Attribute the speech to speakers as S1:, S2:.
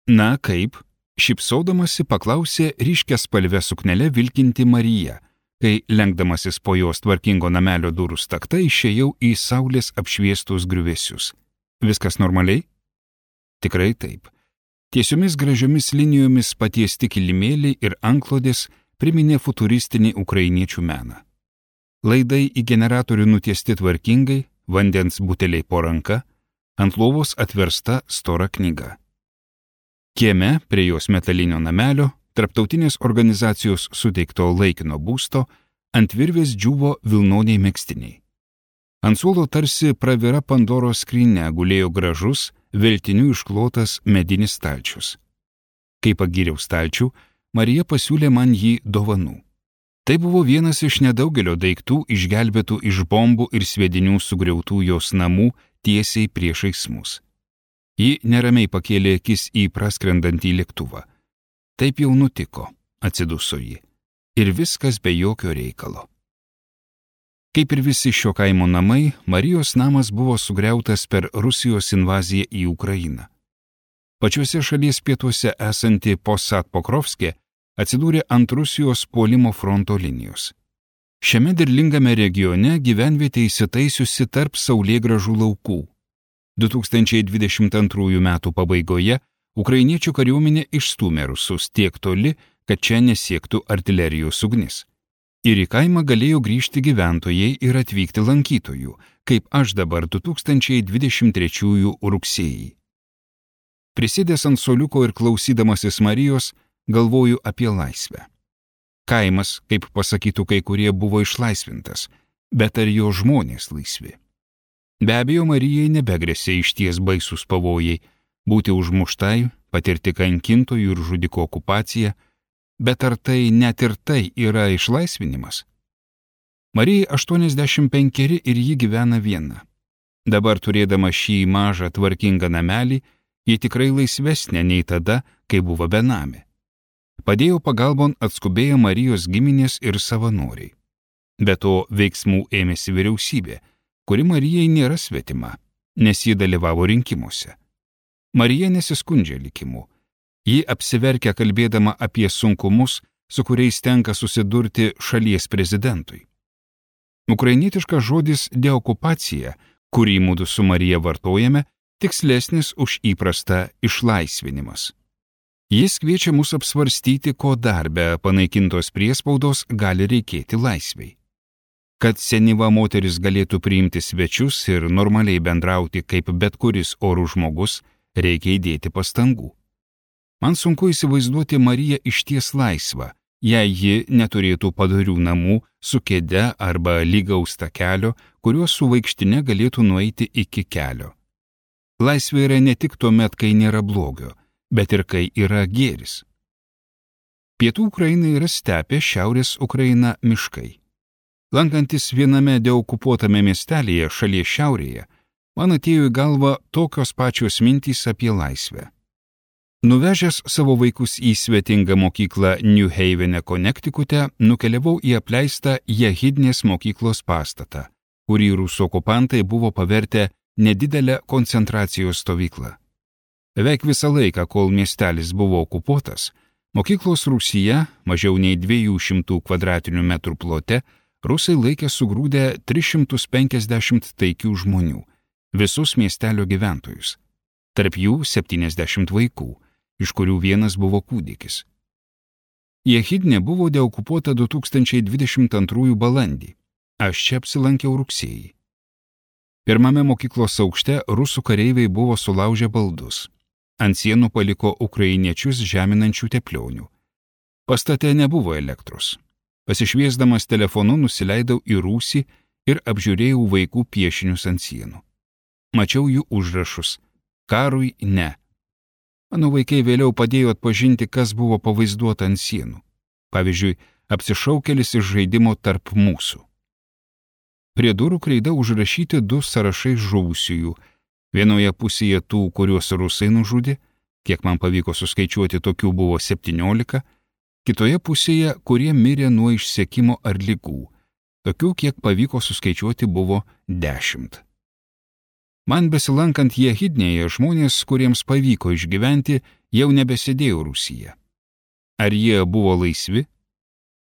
S1: Na, kaip? Šypsodamasi paklausė ryškiaspalvę suknelę vilkinti Marija, kai lenkdamasis po jos tvarkingo namelio durų stakta išėjau į saulės apšviestus griuvėsius. Viskas normaliai? Tikrai taip. Tiesiomis gražiomis linijomis patiesti kilimėliai ir antklodės priminė futuristinį ukrainiečių meną. Laidai į generatorių nutiesti tvarkingai, vandens buteliai po ranka, ant lovos atversta stora knyga. Kieme prie jos metalinio namelio, tarptautinės organizacijos suteikto laikino būsto, ant virvės džiūvo vilnoniai megztiniai. Ant suolo tarsi pravira Pandoros skrynia gulėjo gražus, veltinių išklotas medinis stalčius. Kai pagyriau stalčių, Marija pasiūlė man jį dovanų. Tai buvo vienas iš nedaugelio daiktų išgelbėtų iš bombų ir sviedinių sugriautų jos namų tiesiai priešais mus. Ji neramiai pakėlė akis į praskrendantį lėktuvą. Taip jau nutiko, atsiduso ji. Ir viskas be jokio reikalo. Kaip ir visi šio kaimo namai, Marijos namas buvo sugriautas per Rusijos invaziją į Ukrainą. Pačiuose šalies pietuose esanti Posad-Pokrovskė atsidūrė ant Rusijos puolimo fronto linijos. Šiame derlingame regione gyvenvietė įsitaisiusi tarp saulėgrąžų laukų. 2022 metų pabaigoje ukrainiečių kariuomenė išstūmė rusus tiek toli, kad čia nesiektų artilerijos ugnis. Ir į kaimą galėjo grįžti gyventojai ir atvykti lankytojų, kaip aš dabar 2023 rugsėjį. Prisėdęs ant suoliuko ir klausydamasis Marijos, galvoju apie laisvę. Kaimas, kaip pasakytų kai kurie, buvo išlaisvintas, bet ar jo žmonės laisvi? Be abejo, Marijai nebegrėsė išties baisus pavojai, būti užmuštai, patirti kankintojų ir žudiko okupaciją, bet ar tai net ir tai yra išlaisvinimas? Marijai 85 ir ji gyvena viena. Dabar turėdama šį mažą tvarkingą namelį, ji tikrai laisvesnė nei tada, kai buvo benamė. Padėjo pagalbon atskubėjo Marijos giminės ir savanoriai. Be to veiksmų ėmėsi vyriausybė, kuri Marijai nėra svetima, nes ji dalyvavo rinkimuose. Marija nesiskundžia likimu. Ji apsiverkia kalbėdama apie sunkumus, su kuriais tenka susidurti šalies prezidentui. Ukrainietiškas žodis deokupacija, kurį mudu su Marija vartojame, tikslesnis už įprastą išlaisvinimas. Jis kviečia mus apsvarstyti, ko dar be panaikintos priespaudos gali reikėti laisvei. Kad senyva moteris galėtų priimti svečius ir normaliai bendrauti kaip bet kuris orų žmogus, reikia įdėti pastangų. Man sunku įsivaizduoti Mariją išties laisvą, jei ji neturėtų padorių namų su kėde arba lygaus takelio, kuriuo su vaikštine galėtų nueiti iki kelio. Laisvė yra ne tik tuomet, kai nėra blogio, bet ir kai yra gėris. Pietų Ukraina yra stepė, šiaurės Ukraina miškai. Lankantis viename deokupuotame miestelėje šalies šiaurėje, man atėjo į galvą tokios pačios mintys apie laisvę. Nuvežęs savo vaikus į svetingą mokyklą New Havene, Konektikute, nukeliavau į apleistą Jehidnės mokyklos pastatą, kurį rusų okupantai buvo pavertę nedidelę koncentracijos stovyklą. Beveik visą laiką, kol miestelis buvo okupuotas, mokyklos rūsyje, mažiau nei 200 kvadratinių metrų plote, rusai laikė sugrūdę 350 taikių žmonių, visus miestelio gyventojus, tarp jų 70 vaikų, iš kurių vienas buvo kūdikis. Jehidnė buvo deokupuota 2022 balandį. Aš čia apsilankiau rugsėjį. Pirmame mokyklos aukšte rusų kareiviai buvo sulaužę baldus. Ant sienų paliko ukrainiečius žeminančių teplionių. Pastate nebuvo elektros. Pasišviesdamas telefonu nusileidau į rūsį ir apžiūrėjau vaikų piešinius ant sienų. Mačiau jų užrašus. Karui ne. Mano vaikai vėliau padėjo atpažinti, kas buvo pavaizduota ant sienų. Pavyzdžiui, apsišaukėlis iš žaidimo Tarp mūsų. Prie durų kreida užrašyti 2 sąrašai žuvusiųjų. Vienoje pusėje tų, kuriuos rusai nužudė, kiek man pavyko suskaičiuoti, tokių buvo 17, kitoje pusėje, kurie mirė nuo išsekimo ar ligų. Tokių, kiek pavyko suskaičiuoti, buvo 10. Man besilankant Jehidnėje, žmonės, kuriems pavyko išgyventi, jau nebesėdėjo Rūsyje. Ar jie buvo laisvi?